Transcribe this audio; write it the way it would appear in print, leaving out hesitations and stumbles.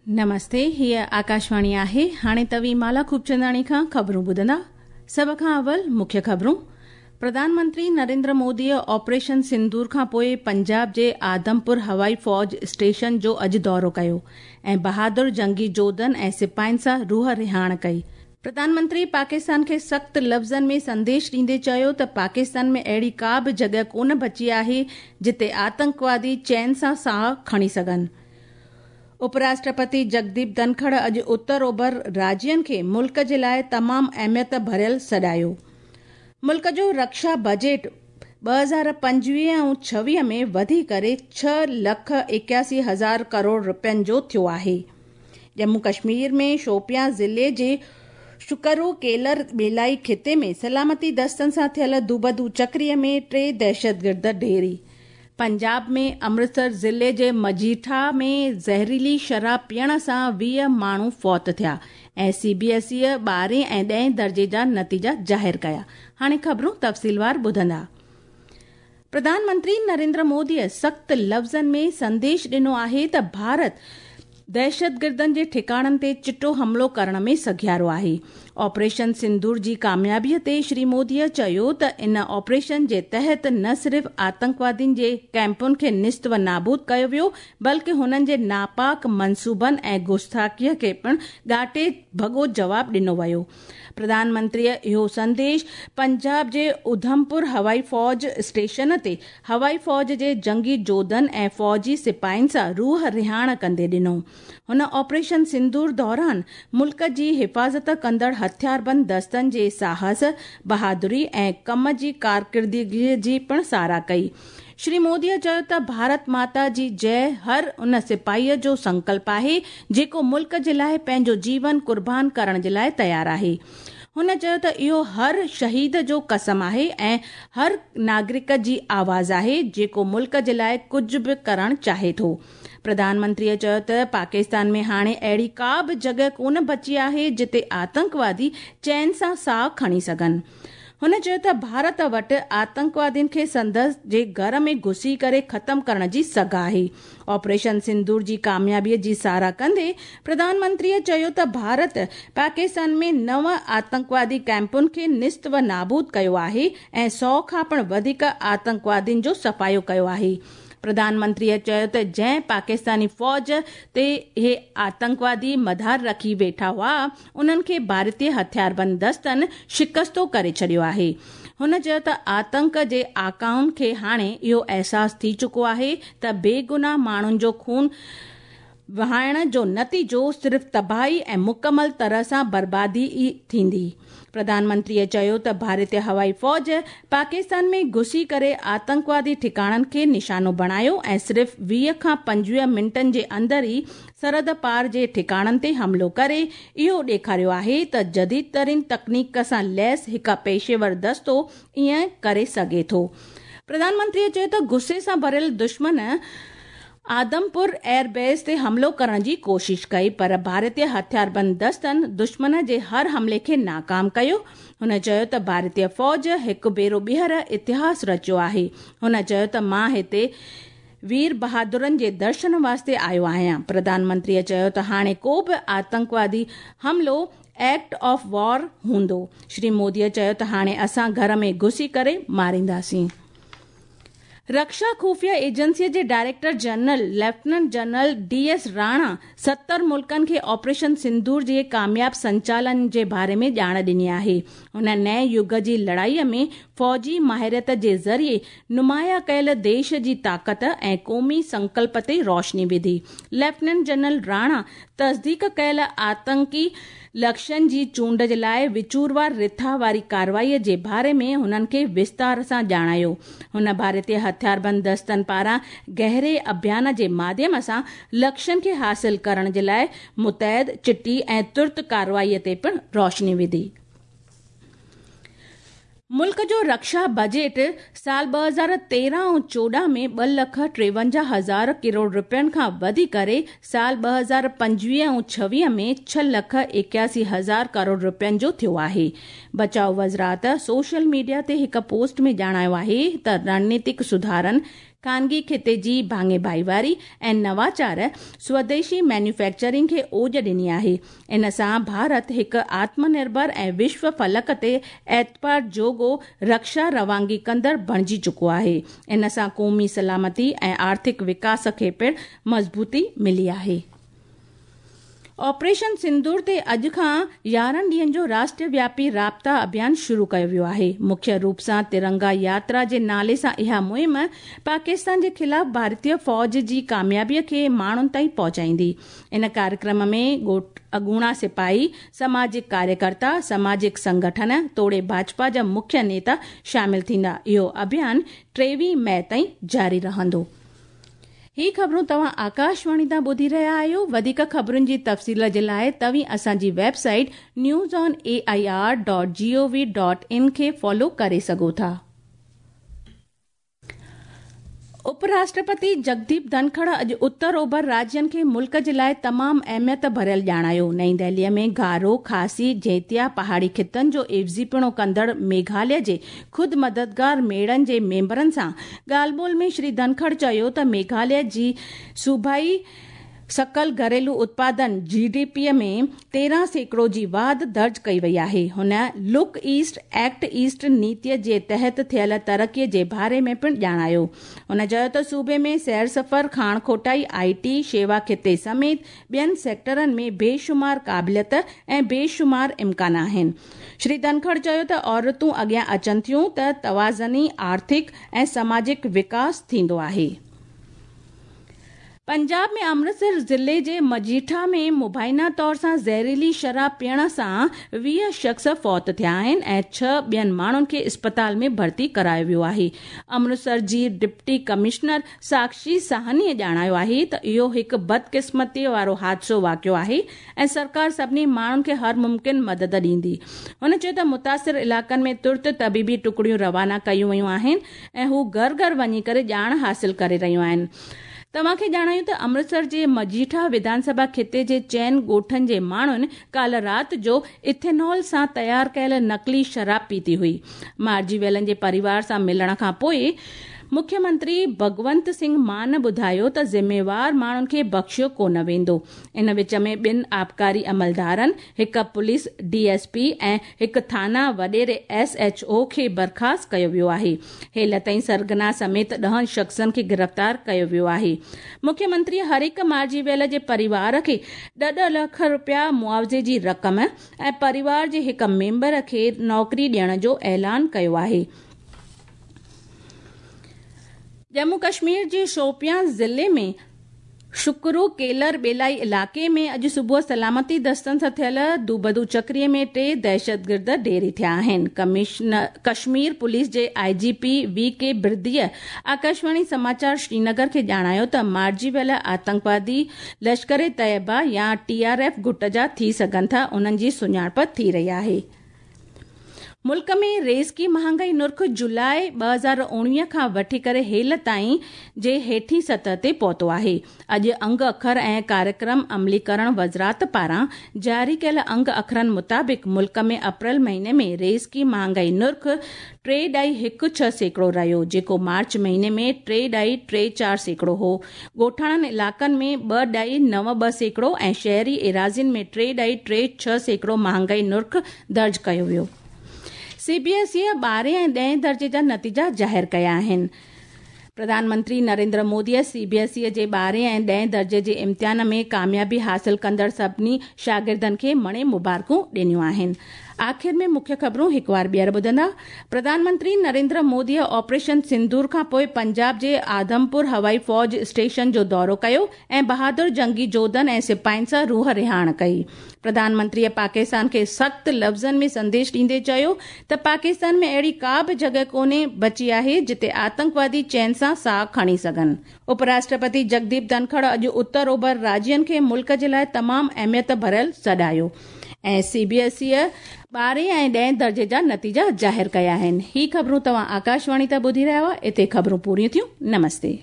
نمستي، هيء آڪاشواڻي آهي. هاڻي توهين مالا خوبچنداڻي کان خبرون ٻڌندا. سڀ کان اول مکيه خبرون. پرڌان منتري نريندر موديء آپريشن سندور کان پوء پنجاب جي آدمپور هوائي فوج اسٽيشن جو اڄ دورو ڪيو ۽ بهادر جنگي جوڌن ۽ سپاهين سان روح رهاڻ ڪئي. پرڌان منتري پاڪستان کي سخت لفظن ۾ سنديش ڏيندي چيو ته پاڪستان ۾ اهڙي ڪا به جڳهه ڪونه بچي آهي جتي آتنڪوادي چين سان ساهه کڻي سگهن. اپراشٽرپتي جگديپ ڌنکڙ اڄ اتر اوڀر راجين کي ملڪ جي لاء تمام اهميت ڀريل سڏايو. ملڪ جو رڪشا بجيٽ 2025 ۽ 26 ۾ وڌي ڪري 6 لک 81 هزار ڪروڙ رپين جو ٿيو آهي. ڄمون ڪشمير ۾ شوپيان ضلعي جي شڪرو ڪيلر ٻيلائي خطي ۾ سلامتي دستن سان ٿيل دوبدو چڪري ۾ ٽي دهشتگرد ڍيري. پنجاب ۾ امرتسر ضلعي جي مجيٺا ۾ زهريلي شراب پيئڻ سان 20 ماڻهو فوت ٿيا ۽ سي بي ايس اي ٻارهين ۽ ڏهين درجي جا نتيجا ظاهر ڪيا. هاڻي خبرون تفصيلوار ٻڌندا. پرڌان منتري نريندر موديء سخت لفظن ۾ سنديش ڏنو آهي ته ڀارت دهشتگردن جي ٺڪاڻن تي چٽو حملو ڪرڻ ۾ سگهيارو آهي. آپريشن سندور جي ڪاميابيء تي شري موديء چيو ته ان آپريشن جي تحت نه صرف آتنڪوادين جي ڪئمپن کي نيست و نابود ڪيو ويو بلڪه هنن جي ناپاڪ منصوبن ۽ گستاخيء کي پڻ ڳاٽي ڀڳو جواب ڏنو ويو. پرڌان منتريء اهو سنديش پنجاب جي اڌمپور هوائي فوج اسٽيشن تي هوائي فوج جي جنگي جوڌن ۽ فوجي سپاهين سان روح رهاڻ ڪندي ڏنو. هن آپريشن سندور دوران ملڪ جي حفاظت ڪندڙ هٿياربند دستن جي ساهس، بهادري ۽ ڪم جي ڪارڪردگيء جي پڻ ساراهه ڪئي. شري موديء چيو ته ڀارت ماتا جي جئه هر ان سپاهيء جو سنڪلپ آهي، جيڪو ملڪ جي لاء پنهنجو جيون قربان ڪرڻ جي لاء تيار آهي. هن چيو ته اهو هر شهيد جو قسم آهي ۽ هر ناگرڪ جي آواز آهي، جيڪو ملڪ جي لاء ڪجهه به ڪرڻ چاهي ٿو. پرڌان منتريء چيو ته پاڪستان ۾ هاڻي اهڙي ڪا به جڳهه ڪونه بچي آهي، جتي آتنڪوادي چين سان ساهه کڻي سگهن. هن چيو ته ڀارت وٽ آتنڪوادين کي سندس جي گهر ۾ گهسي ڪري ختم ڪرڻ جي سگهه آهي. آپريشن سندور جي ڪاميابي جي ساراهه ڪندي پرڌان منتريء چيو ته ڀارت پاڪستان ۾ نو آتنڪوادي ڪئمپن کي نيست و نابود ڪيو آهي ۽ سئو کان پڻ وڌيڪ آتنڪوادين جو صفايو ڪيو آهي. پرڌان منتريء چيو ته جنهن پاڪستاني فوج تي اهي آتنڪوادي مدار رکي ويٺا هئا، انهن کي ڀارتي هٿياربند دستن شڪستو ڪري ڇڏيو آهي. هن چيو ته آتنڪ جي آقائن کي هاڻي اهو احساس ٿي چڪو آهي ته بيگناهه ماڻهن جو خون وهائڻ جو نتيجو صرف تباهي ۽ مڪمل طرح سان بربادي ئي ٿيندي. پرڌان منتريء چيو ته ڀارتي هوائي فوج پاڪستان ۾ گهسي ڪري آتنڪوادي ٺڪاڻن کي نشانو بڻايو ۽ صرف 20 کان 25 منٽن جي اندر ئي سرحد پار جي ٺڪاڻن تي حملو ڪري اهو ڏيکاريو آهي ته جديد ترين تڪنيڪ سان ليس هڪ پيشيور دستو ائين ڪري سگهي ٿو. پرڌان منتريء چيو ته غصي سان ڀريل دشمن آدمپور ايئر بيس تي حملو ڪرڻ جي ڪوشش ڪئي پر ڀارتي هٿياربند دستن دشمن جي هر حملي کي ناڪام ڪيو. هن چيو ته ڀارتي فوج هڪ ڀيرو ٻيهر اتهاس رچيو آهي. هن چيو ته مان هتي وير بهادرن جي درشن واسطي آيو آهيان. پرڌان منتريء چيو ته هاڻي ڪو به آتنڪوادي حملو ايڪٽ آف وار هوندو. شري موديء چيو ته هاڻي اسان گهر ۾ گهسي ڪري مارينداسين. رڪشا خفيه ايجنسي جي director general lieutenant general D S Rana 70 ملڪن کي آپريشن سندور جي ڪامياب سنچالن جي باري ۾ ڄاڻ ڏني آهي. هن نئين يگ جي لڙائي ۾ فوجي ماهريت جي ذريعي نمايان ڪيل ديش جي طاقت ۽ قومي سنڪلپ تي روشني وڌي. ليفٽيننٽ جنرل راڻا تصديق ڪيل آتنڪي لڪشن جي چونڊ جي لاء وچوروار رٿا واري ڪارروائي جي باري ۾ هنن کي وستار سان ڄاڻايو. هن ڀارتي هٿياربند دستن پاران گهري اڀيان جي ماڌيم سان لڪشن کي حاصل ڪرڻ جي لاء متحد، چٽي ۽ ترت ڪارروائي تي پڻ روشني وڌي. ملڪ جو رڪشا بجيٽ سال 2013 ۽ 14 ۾ ٻه لک 53 هزار ڪروڙ رپين کان وڌي ڪري سال 2025 ۽ 26 ۾ 6 لک 81 هزار ڪروڙ رپين جو ٿيو آهي. بچاء وزارت سوشل ميڊيا تي هڪ پوسٽ ۾ ڄاڻايو آهي ته رڻنيتڪ سڌارن، خانگي خطي جي ڀاڱي ڀائيواري ۽ نواچار سوديشي مينوفيڪچرنگ کي اوج ڏني آهي. ان سان ڀارت هڪ آتم نرڀر ۽ وشو فلڪ تي اعتبار جوڳو رڪشا روانگي ڪندڙ بڻجي چڪو آهي. ان سان قومي سلامتي ۽ آرٿڪ وڪاس کي پڻ مضبوطي ملي آهي. آپريشن سندور تي اڄ کان 11 ڏينهن جو راشٽروياپي رابطا اڀيان شروع ڪيو ويو آهي. مکيه روپ سان ترنگا ياترا جي نالي سان اها مهم پاڪستان جي خلاف ڀارتيه فوج جي ڪاميابي کي ماڻهن تائين پهچائيندي. ان ڪاريڪرم ۾ اڳوڻا سپاهي، سماجڪ ڪاريڪرتا، سماجڪ سنگٺن توڙي ڀاجپا جا مکيه نيتا شامل ٿيندا. اهو اڀيان 23 مئي تائين جاري رهندو. هي خبرون توهان آڪاشواڻي تان ٻڌي رهيا آهيو. وڌيڪ خبرن جي تفصيل جي لاءِ توهين اسان جي website news on A I R dot G O V dot in کي فالو ڪري سگهو ٿا. اپراشٽرپتي جگديپ ڌنکڙ اڄ اتر اوڀر راجين کي ملڪ جي لاءِ تمام اهميت ڀريل ڄاڻايو. نئين دهليءَ ۾ گارو، کاسي، جيتيا پهاڙي خطن جو عيوضيپڻو ڪندڙ ميگهاليه جي خود مددگار ميڙن جي ميمبرن سان ڳالهه ٻولهه ۾ شري ڌنکڙ چيو ته ميگهاليه جي صوبائي سڪل گهريلو اتپادن جي ڊي پي ۾ 13% جي واڌ درج ڪئي وئي آهي. هن لڪ ايسٽ ايڪٽ ايسٽ نيتي جي تحت ٿيل ترقي جي باري ۾ پڻ ڄاڻايو. هن چيو ته صوبي ۾ سير سفر، کاڻ کوٽائي، آءِ ٽي، شيوا خطي سميت ٻين سيڪٽرن ۾ بيشمار قابليت ۽ بيشمار امڪان آهن. شري ڌنکڙ چيو ته عورتون اڳيان اچن ٿيون ته توازني آرٿڪ ۽ سماجڪ وڪاس ٿيندو آهي. پنجاب ۾ امرتسر ضلعي جي مجيٺا ۾ مبينا طور سان زهريلي شراب پيئڻ سان 20 شخص فوت ٿيا آهن ۽ 6 ٻين ماڻهن کي اسپتال ۾ ڀرتي ڪرايو ويو آهي. امرتسر جي ڊپٽي ڪمشنر ساڪشي ساهني ڄاڻايو آهي ته اهو هڪ بدقسمتي وارو حادثو واقعو آهي ۽ سرڪار سڀني ماڻهن کي هر ممڪن مدد ڏيندي. هن چيو ته متاثر علائقن ۾ ترت طبيبي ٽڪڙيون روانا ڪيون ويون آهن ۽ هو گهر گهر وڃي ڪري ڄاڻ حاصل ڪري رهيون آهن. توهان کي ڄاڻايون ته امرتسر جي مجيٺا وڌان سڀا خطي جي 4 ڳوٺن جي ماڻهن ڪالهه رات جو ايٿينول سان تيار ڪيل نقلي شراب پيتي هئي. مارجي ويلن جي پريوار سان ملڻ کان پوءِ مکيه منتري ڀڳونت سنگهه مان ٻڌايو ته ذميوار ماڻهن کي بخشيو ڪونه ويندو. ان وچ ۾ 2 آبڪاري عملدارن، هڪ پوليس ڊي ايس پي ۽ هڪ ٿانا وڏيري ايس ايڇ او کي برخاست ڪيو ويو آهي. هيل تائين سرگنا سميت 10 شخصن کي گرفتار ڪيو ويو آهي. مکيه منتري هر هڪ مارجي ويل جي پريوار کي 1.5 لک رپيا معاوضي جي رقم ۽ پريوار جي هڪ ميمبر کي نوڪري ڏيڻ جو اعلان ڪيو آهي. ڄمون ڪشمير جي شوپيان ضلعي ۾ شڪرو ڪيلر ٻيلائي علائقي ۾ اڄ صبح سلامتي دستن سان ٿيل دوبدو چڪري ۾ 3 دهشتگرد ڍيري ٿيا آهن. ڪشمير پوليس جي I G P V K برديءَ آڪاشواڻي سماچار شرينگر کي ڄاڻايو ته مارجي ويل آتنڪوادي لشڪر طيبه يا ٽي آر ايف گٽ جا ٿي سگهن ٿا، انهن جي سڃاڻپ ٿي رهي آهي. ملڪ ۾ ريزڪي مهانگائي نرخ جولاءِ 2019 کان وٺي ڪري هيل تائين جي هيٺين سطح تي پهتو آهي. اڄ انگ اکر ۽ ڪاريڪرم عمليڪرڻ وزارت پاران جاري ڪيل انگ اکرن مطابق ملڪ ۾ اپريل مهيني ۾ ريزڪي مهانگائي نرخ 3.16% رهيو، جيڪو مارچ مهيني ۾ 3.34% هو. ڳوٺاڻن علائقن ۾ 2.92% ۽ شهري ايراضين ۾ 3.36% مهانگائي نرخ درج ڪيو ويو. سي بي ايس اي 12 ۽ 10 درجي جا نتيجا ظاهر ڪيا آهن. پرڌان منتري نريندر موديءَ سي بي ايس اي جي 12 ۽ 10 درجي جي امتحان ۾ ڪاميابي حاصل ڪندڙ سڀني شاگردن کي مڻي مبارڪون ڏنيون آهن. آخر ۾ مکيه خبرون هڪ وار ٻيهر ٻڌندا. پرڌان منتري نريندر موديءَ آپريشن سندور کان پوءِ پنجاب جي آدمپور هوائي فوج اسٽيشن جو دورو ڪيو ۽ بهادر جنگي جوڌن ۽ سپاهين سان روح رهاڻ ڪئي. پرڌان منتريءَ پاڪستان کي سخت لفظن ۾ سنديش ڏيندي چيو ته پاڪستان ۾ اهڙي ڪا به جڳهه ڪونهي بچي آهي جتي آتنڪوادي چين سان ساهه کڻي سگهن. اپراشٽرپتي جگديپ ڌنکڙ اڄ اتر اوڀر راجين کي ملڪ جي لاءِ تمام اهميت ڀريل سڏايو ۽ سي بي ايس اي 12 ۽ 10 درجي جا نتيجا ظاهر ڪيا آهن. هي خبرون توهان آڪاشواڻي تان ٻڌي رهيا هئا. هتي خبرون پوريون ٿيون. نمستي.